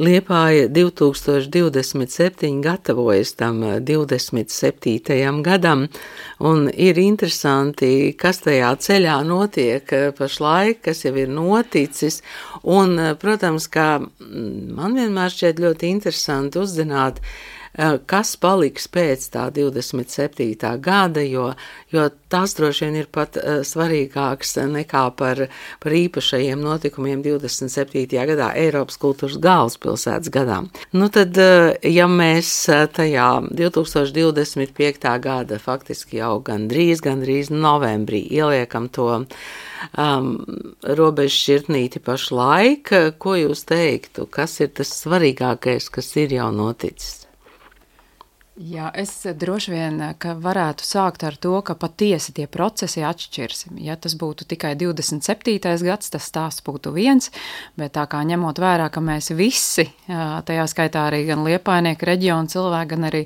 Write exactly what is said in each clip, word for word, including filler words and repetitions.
Liepāja divtūkstoš divdesmit septiņi gatavojas tam divdesmit septītajam gadam, un ir interesanti, kas tajā ceļā notiek pašlaik, kas jau ir noticis, un, protams, kā man vienmēr šķiet ļoti interesanti uzzināt, kas paliks pēc tā divdesmit septītā gada, jo, jo tās droši vien ir pat svarīgāks nekā par, par īpašajiem notikumiem divdesmit septītajā gadā, Eiropas kultūras galvaspilsētas gadā. Nu tad, ja mēs tajā divtūkstoš divdesmit piektā gada faktiski jau gandrīz, gandrīz novembrī ieliekam to um, robežu šķirtnīti pašlaik, ko jūs teiktu, kas ir tas svarīgākais, kas ir jau noticis? Jā, es droši vien, ka varētu sākt ar to, ka patiesi tie procesi atšķirsim. Ja tas būtu tikai divdesmit septītais gads, tas stāsts būtu viens, bet tā kā ņemot vērā, ka mēs visi, tajā skaitā arī gan Liepājnieku reģionu cilvēki, gan arī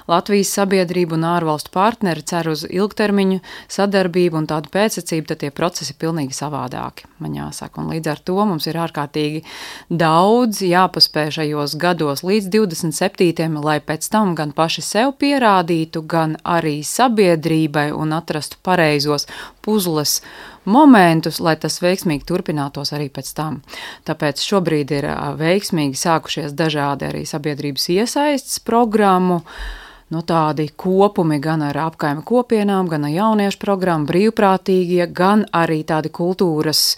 Latvijas sabiedrību un ārvalstu partneri cer uz ilgtermiņu sadarbību un tādu pēcsacību, tad tie procesi ir pilnīgi savādāki, man jāsaka. Un līdz ar to mums ir ārkārtīgi daudz jāpaspēj šajos gados līdz divdesmit septītajam, lai pēc tam gan paši sev pierādītu, gan arī sabiedrībai un atrastu pareizos puzles momentus, lai tas veiksmīgi turpinātos arī pēc tam. Tāpēc šobrīd ir veiksmīgi sākušies dažādi arī sabiedrības iesaistes programmu, no tādi kopumi gan ar apkaime kopienām, gan ar jauniešu programmu, brīvprātīgie, gan arī tādi kultūras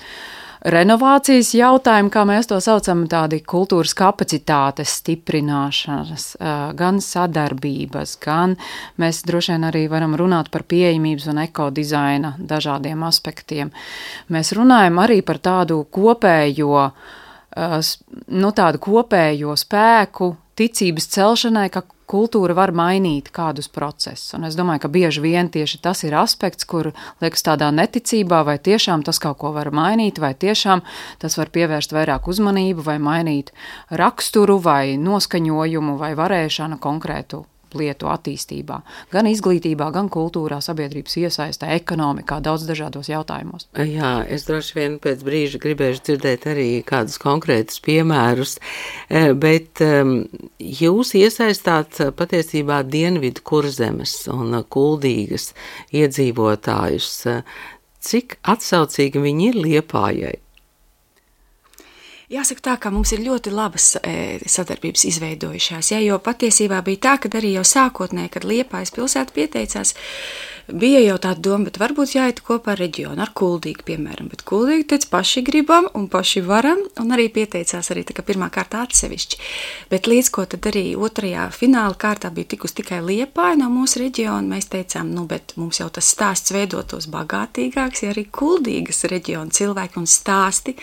renovācijas jautājumi, kā mēs to saucam, tādi kultūras kapacitātes stiprināšanas, gan sadarbības, gan mēs droši vien arī varam runāt par pieejamības un ekodizaina dažādiem aspektiem. Mēs runājam arī par tādu kopējo, nu tādu kopējo spēku, ticības celšanai, ka kultūra var mainīt kādus procesus. Un es domāju, ka bieži vien tieši tas ir aspekts, kur liekas tādā neticībā, vai tiešām tas kaut ko var mainīt, vai tiešām tas var pievērst vairāk uzmanību, vai mainīt raksturu, vai noskaņojumu, vai varēšanu konkrētu lietu attīstībā. Gan izglītībā, gan kultūrā, sabiedrības iesaistē, ekonomikā, daudz dažādos jautājumos. Jā, es droši vien pēc brīža gribēšu dzirdēt arī kādus konkrētus piemērus, bet jūs iesaistāt patiesībā Dienvidu Kurzemes un Kuldīgas iedzīvotājus. Cik atsaucīgi viņi ir Liepājai? Jāsaka tā, ka mums ir ļoti labas e, sadarbības izveidojušās, ja, jo patiesībā bija tā, ka arī jau sākotnēji, kad Liepājas pilsēta pieteicās, bija jau tāda doma, bet varbūt jāiet kopā ar reģionu, ar Kuldīgu, piemēram, bet Kuldīgi teica, paši gribam un paši varam, un arī pieteicās arī tā kā pirmā kārtā atsevišķi. Bet līdz ko tad arī otrajā fināla kārtā bija tikus tikai Liepāja no mūsu reģiona, mēs teicām, nu, bet mums jau tas stāsts veidotos bagātīgāks, ja arī Kuldīgas reģiona cilvēki un stāsti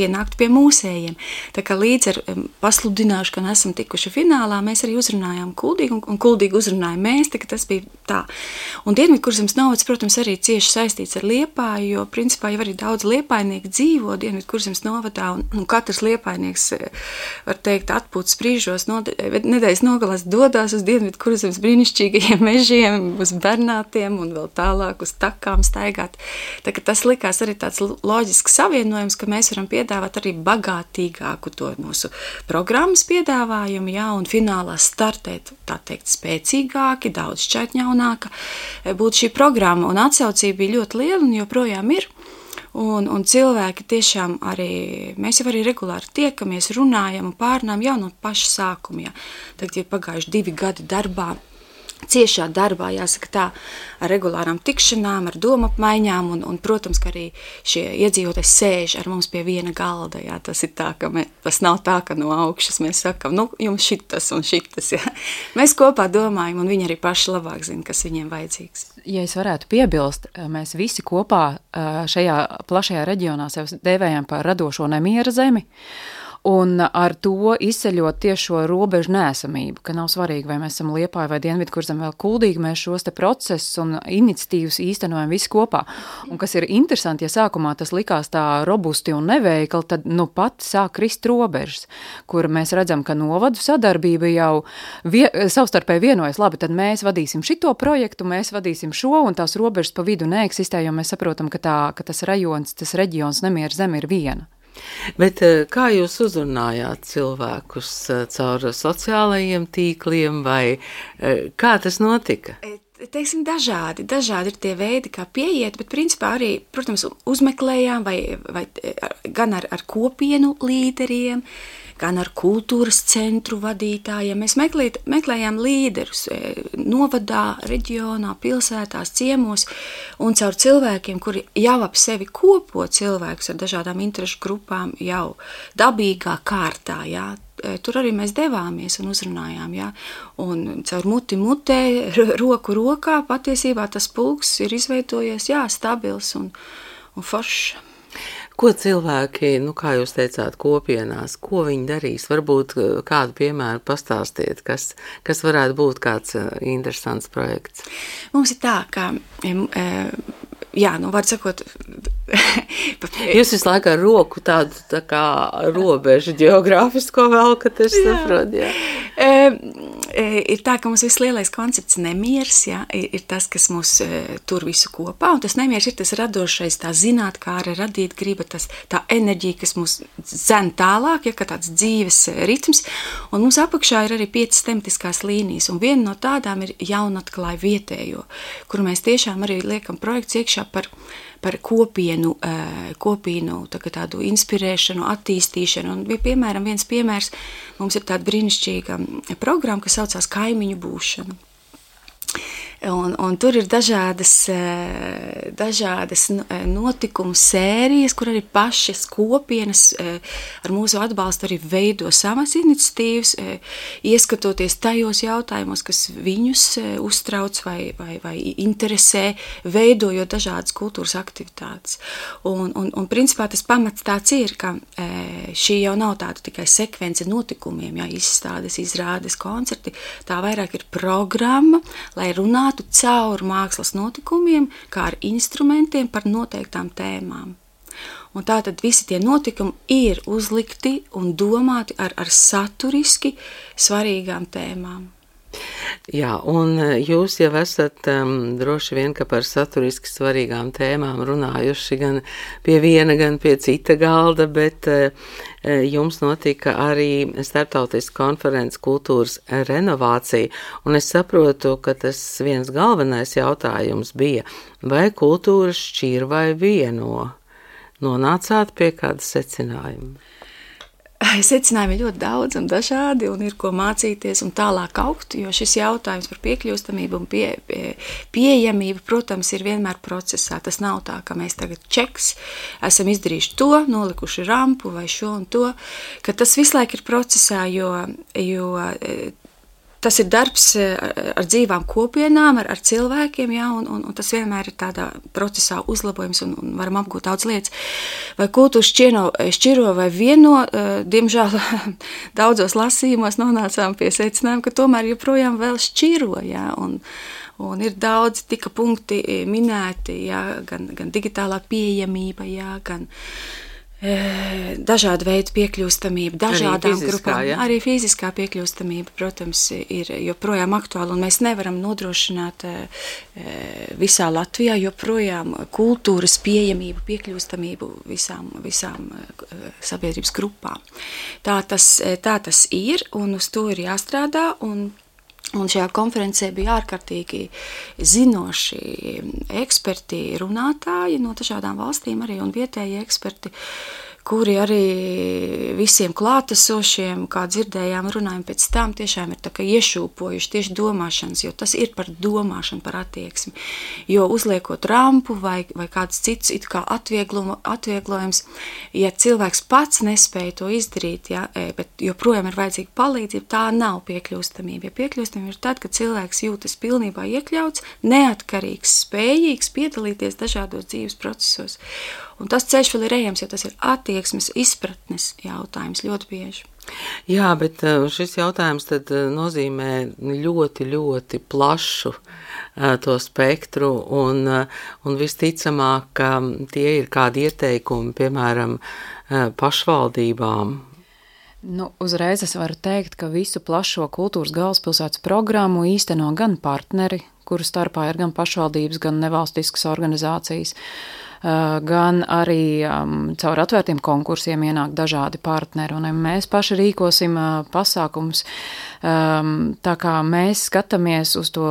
pienāktu pie mūsējiem. Tā kā līdz ar pasludināšu, ka esam tikuši finālā, mēs arī uzrunājām Kuldīgu, un, un Kuldīgu uzrunājām mēs, tā ka tas bija tā. Un Dienvidkurzemes novads, protams, arī cieši saistīts ar Liepāju, jo principā jau arī daudz liepājnieku dzīvo Dienvidkurzemes novadā, un, un katrs liepājnieks, var teikt, atpūtas brīžos, nedēļas nogalās dodās uz Dienvidkurzemes brīnišķīgajiem mežiem, uz Bernātiem un vēl tālāk uz takām staigāt. Tā ka tas likās arī tāds loģisks savienojums, ka mēs varam piedāvāt arī bagātīgāku to mūsu programmas piedāvājumu, jā, un finālā startēt, tā teikt, spēcīgāki, daudz šķaitņaunāka būtu šī programma, un atsaucība bija ļoti liela un joprojām ir, un, un cilvēki tiešām arī, mēs jau arī regulāri tiekamies, runājam un pārunājam jau no paša sākuma, jā. Tagad ir pagājuši divi gadi darbā, ciešā darbā, jāsaka tā, ar regulārām tikšanām, ar domapmaiņām, un, un, protams, ka arī šie iedzīvotāji sēž ar mums pie viena galda, jā, tas ir tā, ka mē, tas nav tā, ka no augšas mēs sakam, nu, jums šitas un šitas, jā. Mēs kopā domājam, un viņi arī paši labāk zina, kas viņiem vajadzīgs. Ja es varētu piebilst, mēs visi kopā šajā plašajā reģionā sev dēvējam par radošo nemiera zemi, un ar to izceļot tieši šo robežu neesamību, ka nav svarīgi, vai mēs esam Liepāja vai Dienvidkurzeme vēl Kuldīgi, mēs šos te procesus un iniciatīvas īstenojam visi kopā. Un kas ir interesanti, ja sākumā tas likās tā robusti un neveikli, tad nu pat sāk krist robežas, kur mēs redzam, ka novadu sadarbība jau vie, savstarpēji vienojas, labi, tad mēs vadīsim šito projektu, mēs vadīsim šo, un tās robežas pa vidu neeksistē, jo mēs saprotam, ka, tā, ka tas rajons, tas reģions nemiera zeme ir viena. Bet kā jūs uzrunājāt cilvēkus caur sociālajiem tīkliem vai kā tas notika? Teiksim, dažādi, dažādi ir tie veidi, kā pieiet, bet principā arī, protams, uzmeklējām vai, vai gan ar, ar kopienu līderiem, gan ar kultūras centru vadītājiem. Mēs meklēt, meklējām līderus novadā, reģionā, pilsētās, ciemos un caur cilvēkiem, kuri jau ap sevi kopo cilvēkus ar dažādām interešu grupām jau dabīgā kārtā, jā. Tur arī mēs devāmies un uzrunājām, jā. Un caur muti mutē, roku rokā patiesībā tas pulks ir izveidojies, jā, stabils un, un foršs. Ko cilvēki, nu kā jūs teicāt, kopienās, ko viņi darīs? Varbūt kādu piemēru pastāstiet, kas, kas varētu būt kāds interesants projekts? Mums ir tā, ka, jā, nu var sakot, jūs visu laiku ar roku tādu tā kā robežu geogrāfisko velkat, es saprotu, jā. E, ir tā, ka mums viss lielais koncepts nemiers, jā, ir, ir tas, kas mūs e, tur visu kopā, un tas nemiers ir tas radošais, tā zinātkāra radīt griba, tas, tā enerģija, kas mūs dzen tālāk, ja, kā tāds dzīves ritms, un mums apakšā ir arī piecas tematiskās līnijas, un viena no tādām ir jaunatklāja vietējo, kuru mēs tiešām arī liekam projekts iekšā par par kopienu, kopienu tā tādu inspirēšanu, attīstīšanu. Un, piemēram, viens piemērs, mums ir tāda brīnišķīga programma, kas saucās Kaimiņu būšana. Un, un tur ir dažādas, dažādas notikumu sērijas, kur arī pašas kopienas ar mūsu atbalstu arī veido savas iniciatīvas, ieskatoties tajos jautājumos, kas viņus uztrauc vai, vai, vai interesē, veidojot dažādas kultūras aktivitātes. Un, un, un principā tas pamats tāds ir, ka šī jau nav tāda tikai sekvence notikumiem, jā, izstādes, izrādes, koncerti, tā vairāk ir programma, lai runātu caur mākslas notikumiem, kā ar instrumentiem par noteiktām tēmām. Un tātad visi tie notikumi ir uzlikti un domāti ar, ar saturiski svarīgām tēmām. Jā, un jūs jau esat um, droši vien, ka par saturiski svarīgām tēmām runājuši gan pie viena, gan pie cita galda, bet uh, jums notika arī starptautiska konferences kultūras renovācija, un es saprotu, ka tas viens galvenais jautājums bija, vai kultūra šķir vai vieno? Nonācāt pie kāda secinājuma? Secinājumi ir ļoti daudz un dažādi, un ir ko mācīties un tālāk augt, jo šis jautājums par piekļūstamību un pie, pie, pieejamību, protams, ir vienmēr procesā. Tas nav tā, ka mēs tagad čeks, esam izdarījuši to, nolikuši rampu vai šo un to, ka tas visu laiku ir procesā, jo, jo tas ir darbs ar dzīvām kopienām, ar, ar cilvēkiem, jā, un, un, un tas vienmēr ir tādā procesā uzlabojums un, un varam apgūt daudz lietas. Vai kultūra šķiro, šķiro vai vieno, diemžēl daudzos lasījumos nonācām pie secinājuma, ka tomēr joprojām vēl šķiro, jā, un, un ir daudz tika punkti minēti, jā, gan, gan digitālā pieejamība, jā, gan dažādu veidu piekļūstamība, dažādām arī fiziskā, grupām. Ja? Arī fiziskā piekļūstamība, protams, ir joprojām aktuāla, un mēs nevaram nodrošināt visā Latvijā joprojām kultūras pieejamību, piekļūstamību visām, visām sabiedrības grupām. Tā tas, tā tas ir, un uz to ir jāstrādā, un Un šajā konferencē bija ārkārtīgi zinoši eksperti, runātāji no dažādām valstīm arī un vietēji eksperti, kuri arī visiem klātesošiem, kā dzirdējām, runājam pēc tam, tiešām ir tā kā iešūpojuši tieši domāšanas, jo tas ir par domāšanu, par attieksmi. Jo uzliekot rampu vai, vai kāds cits it kā atvieglojums, ja cilvēks pats nespēja to izdarīt, ja, bet joprojām ir vajadzīga palīdzība, tā nav piekļūstamība. Ja piekļūstamība ir tad, kad cilvēks jūtas pilnībā iekļauts, neatkarīgs, spējīgs piedalīties dažādos dzīves procesos. Un tas ceļš vēl ir ejams, jo tas ir attieksmes, izpratnes jautājums ļoti bieži. Jā, bet šis jautājums tad nozīmē ļoti, ļoti plašu to spektru, un, un visticamāk, ka tie ir kādi ieteikumi, piemēram, pašvaldībām. Nu, uzreiz es varu teikt, ka visu plašo kultūras galvaspilsētas programmu īsteno gan partneri, kuru starpā ir gan pašvaldības, gan nevalstiskas organizācijas. gan arī um, caur atvērtiem konkursiem ienāk dažādi partneri, un mēs paši rīkosim uh, pasākums. Um, tā kā mēs skatāmies uz to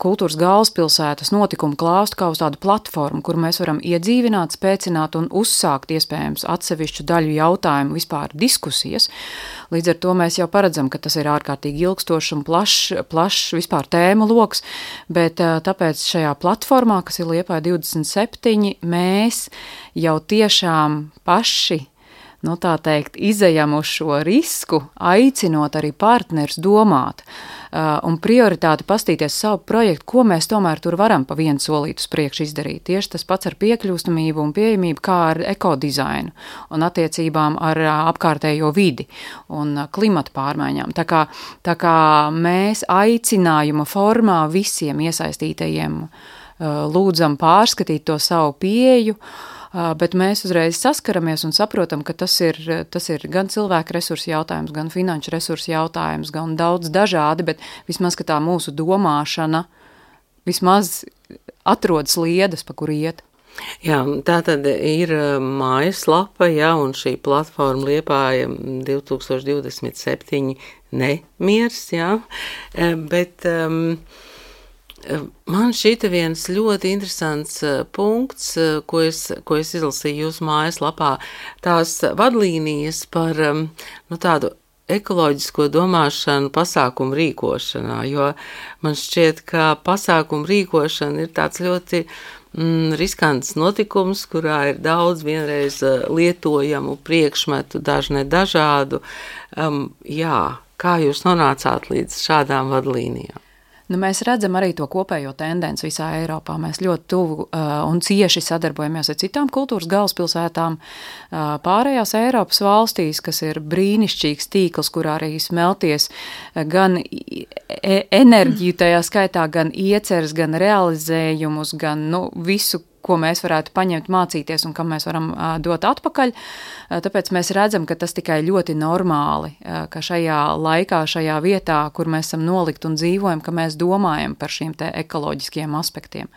kultūras galvaspilsētas notikumu klāstu kā uz tādu platformu, kur mēs varam iedzīvināt, spēcināt un uzsākt iespējams atsevišķu daļu jautājumu vispār diskusijas. Līdz ar to mēs jau paredzam, ka tas ir ārkārtīgi ilgstošs un plašs, plašs vispār tēmu loks, bet uh, tāpēc šajā platformā, kas ir Liepāja divdesmit septiņi, mēs jau tiešām paši, nu tā teikt, izejam uz šo risku, aicinot arī partners domāt uh, un prioritāti pastīties savu projektu, ko mēs tomēr tur varam pa vienu solītu uz priekšu izdarīt. Tieši tas pats ar piekļūstamību un pieejamību, kā ar ekodizainu un attiecībām ar uh, apkārtējo vidi un uh, klimata pārmaiņām. Tā kā, tā kā mēs aicinājuma formā visiem iesaistītajiem uh, lūdzam pārskatīt to savu pieeju, bet mēs uzreiz saskaramies un saprotam, ka tas ir, tas ir gan cilvēku resursu jautājums, gan finanšu resursu jautājums, gan daudz dažādi, bet vismaz, ka tā mūsu domāšana vismaz atrodas liedas, pa kur iet. Jā, tā tad ir mājaslapa, jā, un šī platforma Liepāja divtūkstoš divdesmit septiņi nemiers, jā, bet um, man šķita viens ļoti interesants punkts, ko es, ko es izlasīju jūsu mājaslapā, tās vadlīnijas par nu, tādu ekoloģisko domāšanu pasākumu rīkošanā, jo man šķiet, ka pasākumu rīkošana ir tāds ļoti mm, riskants notikums, kurā ir daudz vienreiz lietojamu priekšmetu, dažne dažādu. Um, jā, kā jūs nonācāt līdz šādām vadlīnijām? Nu, mēs redzam arī to kopējo tendenci visā Eiropā. Mēs ļoti tuvu uh, un cieši sadarbojamies ar citām kultūras galvaspilsētām uh, pārējās Eiropas valstīs, kas ir brīnišķīgs tīkls, kurā arī smelties gan e enerģiju tajā skaitā, gan ieceres, gan realizējumus, gan nu, visu, ko mēs varētu paņemt, mācīties un kam mēs varam uh, dot atpakaļ. Uh, tāpēc mēs redzam, ka tas tikai ļoti normāli, uh, ka šajā laikā, šajā vietā, kur mēs esam nolikt un dzīvojam, ka mēs domājam par šiem te ekoloģiskiem aspektiem.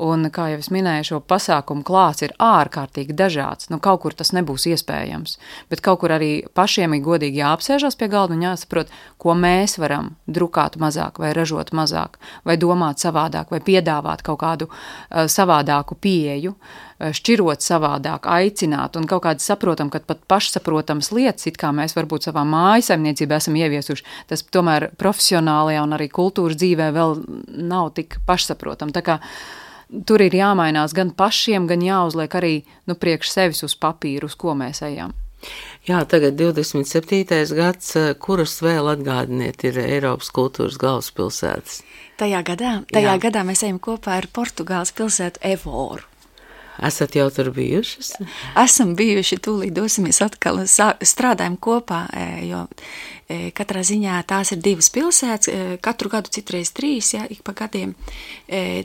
Un, kā jau es minēju, šo pasākumu klāsts ir ārkārtīgi dažāds. Nu, kaut kur tas nebūs iespējams, bet kaut kur arī pašiem ir godīgi jāapsēžas pie galda un jāsaprot, ko mēs varam drukāt mazāk vai ražot mazāk, vai domāt savādāk, vai piedāvāt kaut kādu uh, savādāku pieeju, uh, šķirot savādāk, aicināt un kaut kādi saprotam, ka pat pašsaprotams lietas, it kā mēs varbūt savā mājasaimniecībā esam ieviesuši, tas tomēr profesionālajā un arī kultūras dzīvē vēl nav tik pašsaprotam. Tā kā tur ir jāmainās gan pašiem, gan jāuzliek arī nu, priekš sevis uz papīru, uz ko mēs ejam. Jā, tagad divdesmit septītais gads, kuras vēl atgādiniet ir Eiropas kultūras galvaspilsētas? Tajā gadā, tajā Jā. gadā mēs ejam kopā ar Portugāles pilsētu Evoru. Esat jau tur bijušas? Esam bijuši, tūlīt dosimies atkal, strādājam kopā, jo katrā ziņā tās ir divas pilsētas, katru gadu citreiz trīs, jā, ik pa gadiem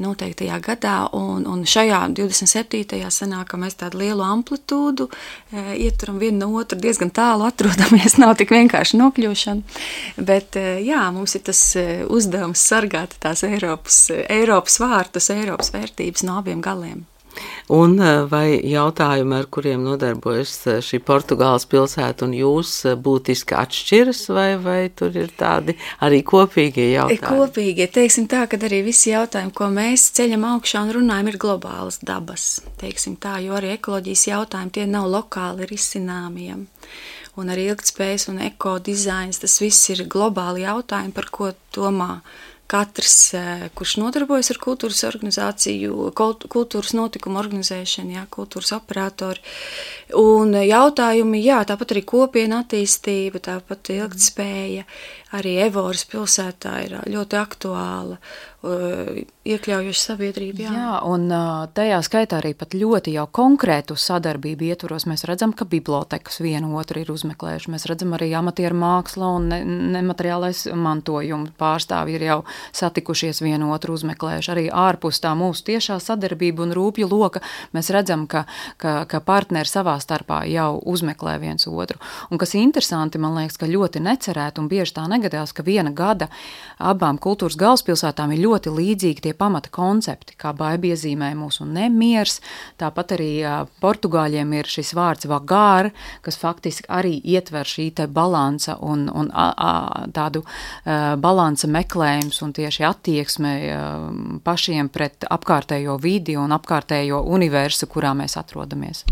noteiktajā gadā, un, un šajā divdesmit septītajā sanāk, ka mēs tādu lielu amplitūdu ieturam vienu no otru, diezgan tālu atrodamies, nav tik vienkārši nokļūšana, bet jā, mums ir tas uzdevums sargāt tās Eiropas, Eiropas vārtus, Eiropas vērtības no abiem galiem. Un vai jautājumi, ar kuriem nodarbojas šī Portugāles pilsēta un jūs, būtiski atšķiras, vai, vai tur ir tādi arī kopīgie jautājumi? Kopīgie, teiksim tā, kad arī visi jautājumi, ko mēs ceļam augšā un runājam, ir globālas dabas, teiksim tā, jo arī ekoloģijas jautājumi, tie nav lokāli risināmiem. Un arī ilgtspējas un ekodizains, tas viss ir globāli jautājumi, par ko domā katrs, kurš nodarbojas ar kultūras organizāciju, kultūras notikumu organizēšanu, jā, kultūras operatori. Un jautājumi, jā, tāpat arī kopiena attīstība, tāpat ilgtspēja, arī Evoras pilsētā ir ļoti aktuāla, iekļaujoša sabiedrība. Jā. jā, un tajā skaitā arī pat ļoti jau konkrētu sadarbību ietvaros mēs redzam, ka bibliotekas vienu otru ir uzmeklējuši. Mēs redzam arī amatieru māksla un ne, nemateriālais mantojuma pārstāvji ir jau satikušies vienu otru uzmeklējuši. Arī ārpus tā mūsu tiešā sadarbība un rūpju loka mēs redzam, ka, ka, ka partneri savā starpā jau uzmeklē viens otru. Un kas interesanti, man liekas, ka ļoti necerēt un bieži tā negadās, ka viena gada abām kultūras galvaspilsētām ir ļoti ļoti līdzīgi tie pamata koncepti, kā Baiba iezīmēja mūsu nemiers, tāpat arī portugāļiem ir šis vārds vagār, kas faktiski arī ietver šī te balansa un, un a, a, tādu a, balansa meklējums un tieši attieksme a, pašiem pret apkārtējo vidi un apkārtējo universu, kurā mēs atrodamies.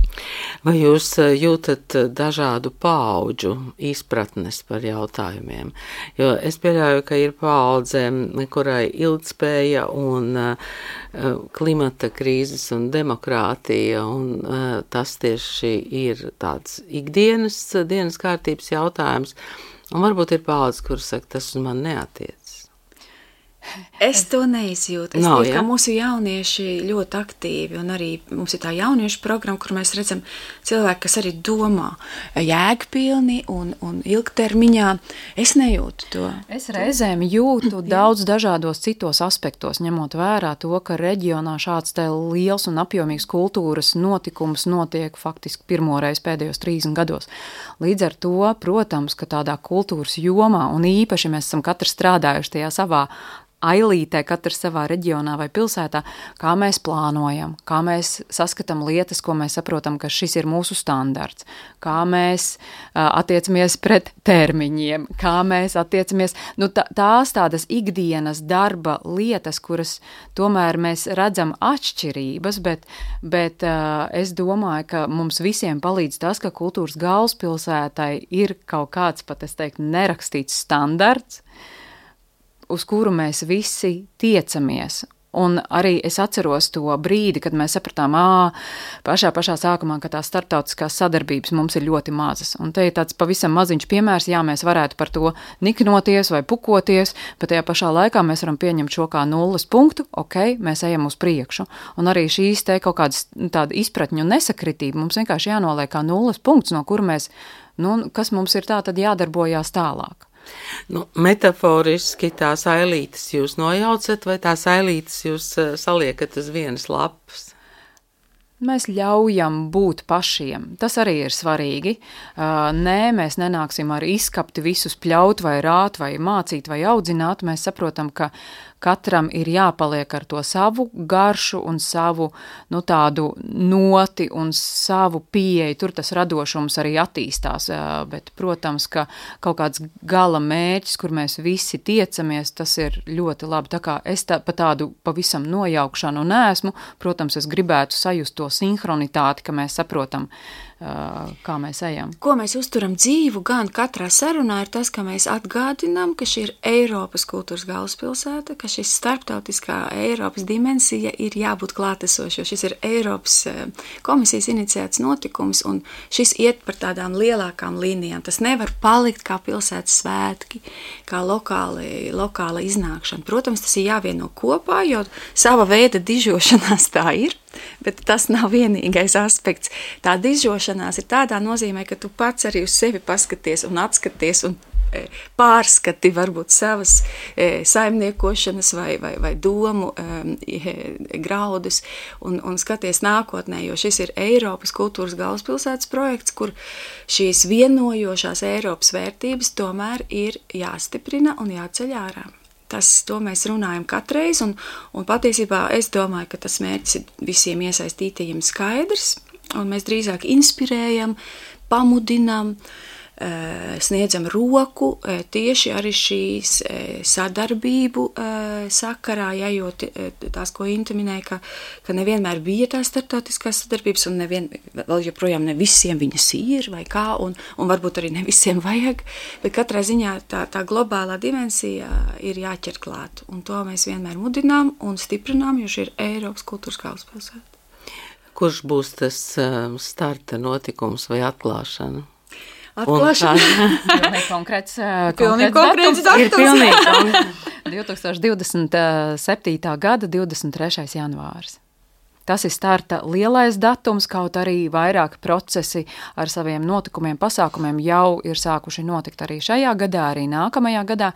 Vai jūs jūtat dažādu paudžu izpratnes par jautājumiem? Jo es pieļauju, ka ir paudze, kurai ilgtspēja un uh, klimata krīzes un demokrātija, un uh, tas tieši ir tāds ikdienas dienas kārtības jautājums, un varbūt ir paudze, kur saka, tas uz man neatiec. Es to neizjūtu. Es no, domāju, ja? ka mūsu jaunieši ļoti aktīvi, un arī mums ir tā jauniešu programma, kur mēs redzam cilvēki, kas arī domā jēgpilni un, un ilgtermiņā. Es nejūtu to. Es reizēm jūtu daudz dažādos citos aspektos, ņemot vērā to, ka reģionā šāds te liels un apjomīgs kultūras notikums notiek faktiski pirmoreiz pēdējos trīsdesmit gados. Līdz ar to, protams, ka tādā kultūras jomā, un īpaši mēs esam katrs strādājuši tajā savā ailītē, katrs savā reģionā vai pilsētā, kā mēs plānojam, kā mēs saskatām lietas, ko mēs saprotam, ka šis ir mūsu standarts, kā mēs uh, attiecamies pret termiņiem, kā mēs attiecamies, nu tā, tās tādas ikdienas darba lietas, kuras tomēr mēs redzam atšķirības, bet, bet uh, es domāju, ka mums visiem palīdz tas, ka kultūras galvaspilsētai ir kaut kāds, pat es teiktu, nerakstīts standarts, uz kuru mēs visi tiecamies. Un arī es atceros to brīdi, kad mēs sapratām, ā, pašā pašā sākumā, ka tās starptautiskās sadarbības mums ir ļoti mazas. Un te ir tāds pavisam maziņš piemērs, jā, mēs varētu par to niknoties vai pukoties, bet tajā pašā laikā mēs varam pieņemt šo kā nulles punktu, ok, mēs ejam uz priekšu. Un arī šīs te kaut kādas tāda izpratņu un nesakritība mums vienkārši jānoliek kā nulles punkts, no kura mēs, nu, kas mums ir tā tad jādarbojās tālāk. Nu, metaforiski tās ailītes jūs nojaucat, vai tās ailītes jūs saliekat uz vienas lapas? Mēs ļaujam būt pašiem. Tas arī ir svarīgi. Nē, mēs nenāksim ar izskapti visus pļaut vai rāt vai mācīt vai audzināt. Mēs saprotam, ka katram ir jāpaliek ar to savu garšu un savu, nu, tādu noti un savu pieeju. Tur tas radošums arī attīstās, bet, protams, ka kaut kāds gala mērķis, kur mēs visi tiecamies, tas ir ļoti labi. Tā kā es tā, pa tādu pavisam nojaukšanu neesmu, protams, es gribētu sajust to sinhronitāti, ka mēs saprotam, kā mēs ejam. Ko mēs uzturam dzīvu gan katrā sarunā ir tas, ka mēs atgādinām, ka šī ir Eiropas kultūras galvaspilsēta, ka šis starptautiskā Eiropas dimensija ir jābūt klātesoša, jo šis ir Eiropas komisijas iniciēts notikums, un šis iet par tādām lielākām līnijām. Tas nevar palikt kā pilsētas svētki, kā lokāli, lokāla iznākšana. Protams, tas ir jāvieno kopā, jo sava veida dižošanās tā ir, bet tas nav vienīgais aspekts. Tā dižošanās ir tādā nozīmē, ka tu pats arī uz sevi paskaties un atskaties un e, pārskati varbūt savas e, saimniekošanas vai, vai, vai domu e, graudus un, un skaties nākotnē, jo šis ir Eiropas kultūras galvaspilsētas projekts, kur šīs vienojošās Eiropas vērtības tomēr ir jāstiprina un jāceļ ārā. Tas, to mēs runājam katreiz, un, un patiesībā es domāju, ka tas mērķis ir visiem iesaistītajiem skaidrs, un mēs drīzāk inspirējam, pamudinām, sniedzam roku tieši arī šīs sadarbību sakarā, ja, jo tās, ko Inte minēja, ka, ka nevienmēr bija tās starptautiskās sadarbības, un nevien, vēl joprojām ne visiem viņas ir, vai kā, un, un varbūt arī ne visiem vajag, bet katrā ziņā tā, tā globālā dimensija ir jāķer klāt, un to mēs vienmēr mudinām un stiprinām, jo šī ir Eiropas kultūras galvaspilsēta. Kurš būs tas starta notikums vai atklāšana? Atklāšana. Pilnīgi konkrēts, pilnīgi konkrēts datums. Ir pilnīgi divi tūkstoši divdesmit septītā gada divdesmit trešais janvārs. Tas ir starta lielais datums, kaut arī vairāki procesi ar saviem notikumiem, pasākumiem jau ir sākuši notikt arī šajā gadā, arī nākamajā gadā,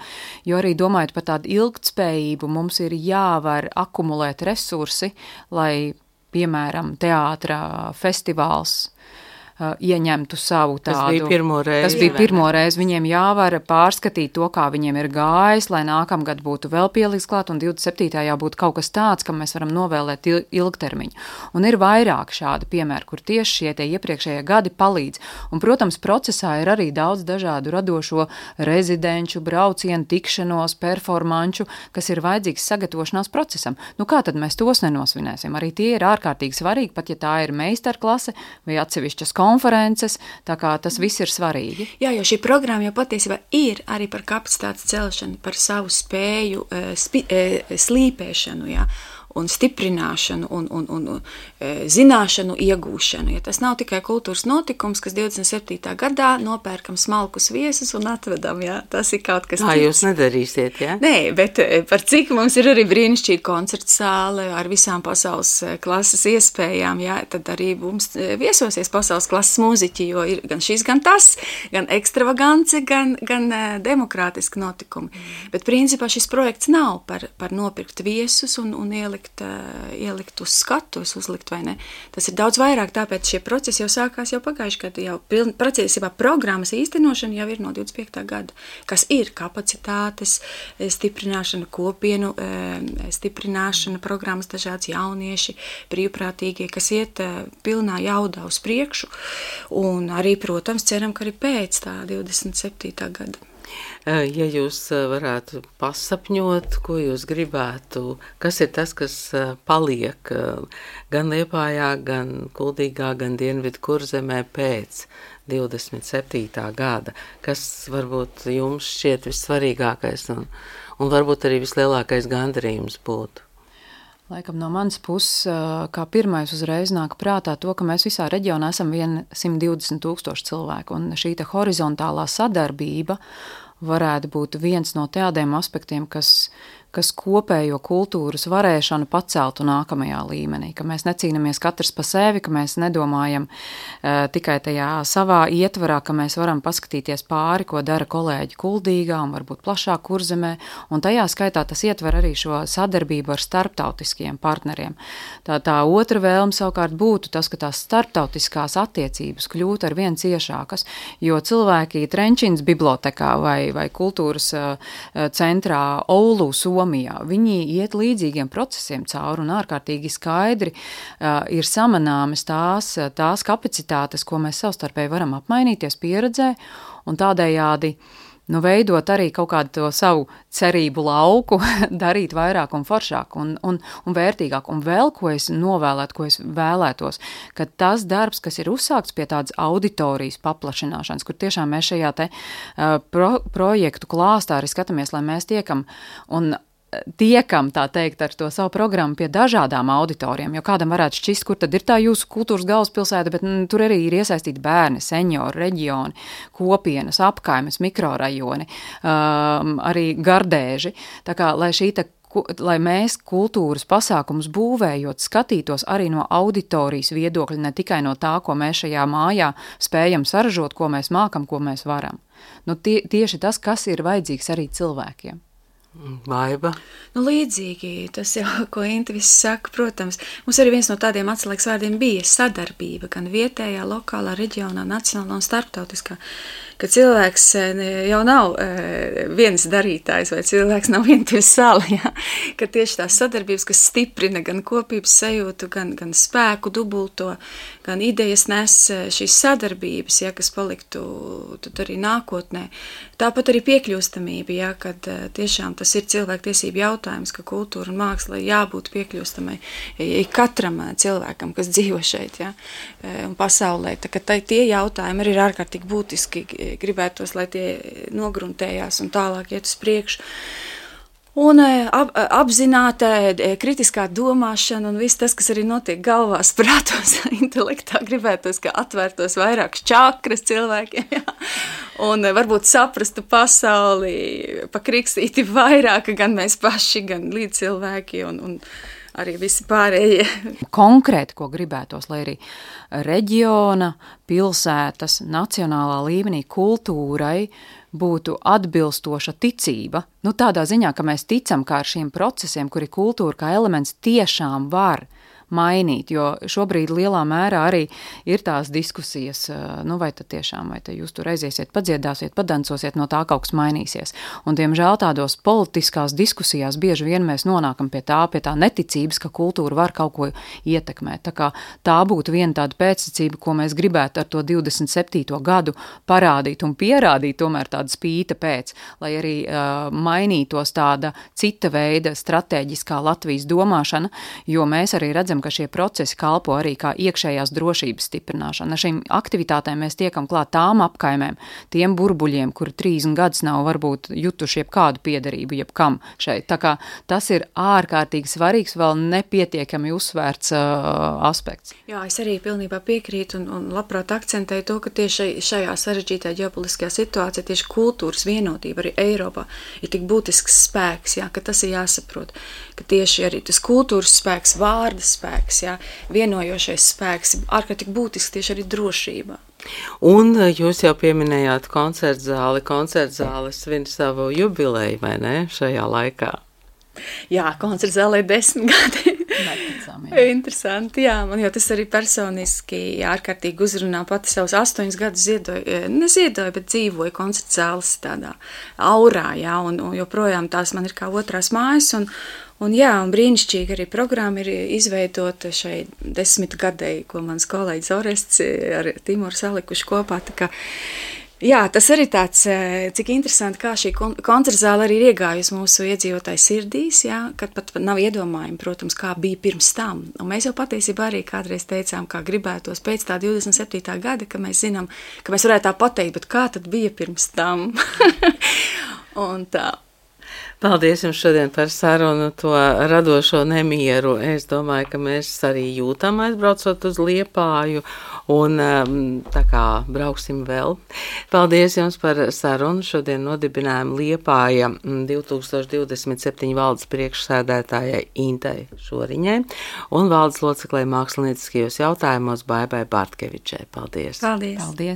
jo arī domājot par tādu ilgtspējību, mums ir jāvar akumulēt resursi, lai, piemēram, teātra festivāls uh, ieņemtu savu tādu. Tas bija pirmo reizi. Tas bija pirmo reizi. Viņiem jāvar pārskatīt to, kā viņiem ir gājis, lai nākamgad būtu vēl pieliks klāt, un divdesmit septītā būtu kaut kas tāds, kam mēs varam novēlēt ilgtermiņu. Un ir vairāk šādi piemēri, kur tieši šie tie iepriekšējie gadi palīdz. Un, protams, procesā ir arī daudz dažādu radošo rezidenču, braucienu, tikšanos, performanču, kas ir vajadzīgs sagatavošanās procesam. Nu, kā tad mēs tos nenosvinēsim? Arī tie ir ārkārtīgi svarīgi, pat ja tā ir meistarklase vai atsevišķas konferences, tā kā tas viss ir svarīgi. Jā, jo šī programma jau patiesībā ir arī par kapacitātes celšanu, par savu spēju spi, slīpēšanu, jā, un stiprināšanu un, un, un, un zināšanu iegūšanu. Ja tas nav tikai kultūras notikums, kas divdesmit septītā gadā nopērkam smalkus viesus un atvedam, jā, tas ir kaut kas cits. Tā jūs nedarīsiet, jā? Nē, bet par cik mums ir arī brīnišķīga koncerta zāle ar visām pasaules klases iespējām, jā, tad arī mums viesosies pasaules klases mūziķi, jo ir gan šis, gan tas, gan ekstravagance, gan, gan demokrātiski notikumi. Mm. Bet principā šis projekts nav par, par nopirkt viesus un, un ielikt ielikt uz skatuves, uzlikt vai ne. Tas ir daudz vairāk, tāpēc šie procesi jau sākās jau pagājuši, kad jau procesībā programmas īstenošana jau ir no divdesmit piektā gada, kas ir kapacitātes stiprināšana, kopienu stiprināšana, programmas dažāds jaunieši, brīvprātīgie, kas iet pilnā jaudā uz priekšu, un arī, protams, ceram, ka arī pēc tā divdesmit septītā gada. Ja jūs varētu pasapņot, ko jūs gribētu, kas ir tas, kas paliek gan Liepājā, gan Kuldīgā, gan Dienvidu Kurzemē pēc divdesmit septītā gada, kas varbūt jums šķiet vissvarīgākais un, un varbūt arī vislielākais gandarījums būtu? Laikam no manas puses, kā pirmais uzreiz nāk prātā to, ka mēs visā reģionā esam simt divdesmit tūkstoši cilvēku, un šī te horizontālā sadarbība varētu būt viens no tādiem aspektiem, kas, kas kopējo kultūras varēšanu paceltu nākamajā līmenī, ka mēs necīnamies katrs pa sevi, ka mēs nedomājam uh, tikai tajā savā ietvarā, ka mēs varam paskatīties pāri, ko dara kolēģi Kuldīgā un varbūt plašāk Kurzemē, un tajā skaitā tas ietver arī šo sadarbību ar starptautiskiem partneriem. Tā, tā otra vēlme savukārt būtu tas, ka tās starptautiskās attiecības kļūt ar vien ciešākas, jo cilvēki Trenčīnas bibliotekā vai, vai kultūras uh, centrā Oulu, Somijā, viņi iet līdzīgiem procesiem cauri un ārkārtīgi skaidri uh, ir samanāmas tās, tās kapacitātes, ko mēs savstarpēji varam apmainīties pieredzē un tādējādi nu, veidot arī kaut kādu to savu cerību lauku, darīt vairāk un foršāk un, un, un vērtīgāk. Un vēl, ko es novēlētu, ko es vēlētos, ka tas darbs, kas ir uzsākts pie tādas auditorijas paplašināšanas, kur tiešām mēs šajā te uh, pro, projektu klāstā arī skatāmies, lai mēs tiekam un tiekam, tā teikt, ar to savu programmu pie dažādām auditorijām, jo kādam varētu šķist, kur tad ir tā jūsu kultūras galvaspilsēta, bet m, tur arī ir iesaistīti bērni, seniori, reģioni, kopienas, apkaimes, mikrorajoni, um, arī gardēži. Tā kā, lai šī te lai mēs kultūras pasākumus būvējot, skatītos arī no auditorijas viedokļa, ne tikai no tā, ko mēs šajā mājā spējam saražot, ko mēs mākam, ko mēs varam. Nu, tie, tieši tas, kas ir vajadzīgs arī cilvēkiem. Vaiba? Nu, līdzīgi, tas jau, ko Inta viss saka, protams, mums arī viens no tādiem atslēgas vārdiem bija sadarbība, gan vietējā, lokālā, reģionā, nacionālā un starptautiskā, ka cilvēks jau nav viens darītājs vai cilvēks nav vientuļs sala, ja? Ka tieši tās sadarbības, kas stiprina gan kopības sajūtu, gan, gan spēku dubulto, gan idejas nes šīs sadarbības, ja, kas paliktu tad arī nākotnē. Tāpat arī piekļūstamība, ja, kad tiešām tas ir cilvēktiesību jautājums, ka kultūra un māksla jābūt piekļūstamai katram cilvēkam, kas dzīvo šeit, ja, un pasaulē. Tā, ka tai, tie jautājumi arī ir ārkārtīgi būtiski, gribētos, lai tie nogruntējās un tālāk iet uz priekšu. Un ap, apzināta kritiskā domāšana un viss tas, kas arī notiek galvās, prātos, intelektā, gribētos, ka atvērtos vairāk čakras cilvēkiem, jā. Un varbūt saprastu pasauli, pakrikstīti vairāk, gan mēs paši, gan līdzcilvēki un, un arī visi pārējie. Konkrēti, ko gribētos, lai arī reģiona, pilsētas, nacionālā līmenī kultūrai būtu atbilstoša ticība. Nu, tādā ziņā, ka mēs ticam, ka ar šiem procesiem, kuri kultūra kā elements tiešām var mainīt, jo šobrīd lielā mērā arī ir tās diskusijas, nu vai tad tiešām, vai tad jūs tur aiziesiet, padziedāsiet, padancosiet, no tā kaut kas mainīsies. Un, diemžēl, tādos politiskās diskusijās bieži vien mēs nonākam pie tā, pie tā neticības, ka kultūra var kaut ko ietekmēt. Tā kā tā būtu viena tāda pēcsacība, ko mēs gribētu ar to divdesmit septīto gadu parādīt un pierādīt tomēr tāda spīta pēc, lai arī uh, mainītos tāda cita veida stratēģiskā Latvijas domāšana, jo mēs arī redzam, ka šie procesi kalpo arī kā iekšējās drošības stiprināšana. Ar šīm aktivitātēm mēs tiekam klāt tām apkaimēm, tiem burbuļiem, kuri trīsdesmit gadus nav varbūt jutuši jebkādu piederību, jebkam šeit. Tā kā tas ir ārkārtīgi svarīgs, vēl nepietiekami uzsvērts uh, aspekts. Jā, es arī pilnībā piekrītu un, un labprāt akcentēju to, ka tieši šajā sarežģītā ģeopolitiskajā situācijā tieši kultūras vienotība arī Eiropā ir tik būtisks spēks, jā, ka tas ir jāsaprot, ka tieši arī tas kultūras spēks, vārda spēks, jā, vienojošais spēks, ārkārtīgi būtisks tieši arī drošībā. Un jūs jau pieminējāt koncertzāli, koncertzāli svin savu jubileju, vai ne, šajā laikā? Jā, koncertzālē desmit gadi. Neticami, jā. Interesanti, jā, man jau tas arī personiski ārkārtīgi uzrunā, pati savus astoņus gadus ziedoju, neziedoju, bet dzīvoju koncertzāles tādā aurā, jā, un, un joprojām tās man ir kā otrās mājas, un, un jā, un brīnišķīgi arī programma ir izveidota šai desmit gadēji, ko mans kolēģis Orests ar Timoru salikuši kopā, tā kā jā, tas arī tāds, cik interesanti, kā šī koncertzāle arī ir iegājusi mūsu iedzīvotāju sirdīs, jā, kad pat nav iedomājumi, protams, kā bija pirms tam. Un mēs jau patiesībā arī kādreiz teicām, kā gribētos pēc tā divdesmit septītā gada, ka mēs zinām, ka mēs varētu tā pateikt, bet kā tad bija pirms tam? Un tā. Paldies jums šodien par sarunu, to radošo nemieru. Es domāju, ka mēs arī jūtam aizbraucot uz Liepāju un tā kā brauksim vēl. Paldies jums par sarunu. Šodien nodibinājām Liepāja divtūkstoš divdesmit septiņi valdes priekšsēdētājai Intai Šoriņai un valdes loceklei mākslinieckajos jautājumos Baibai Bartkevičai. Paldies! Paldies! Paldies.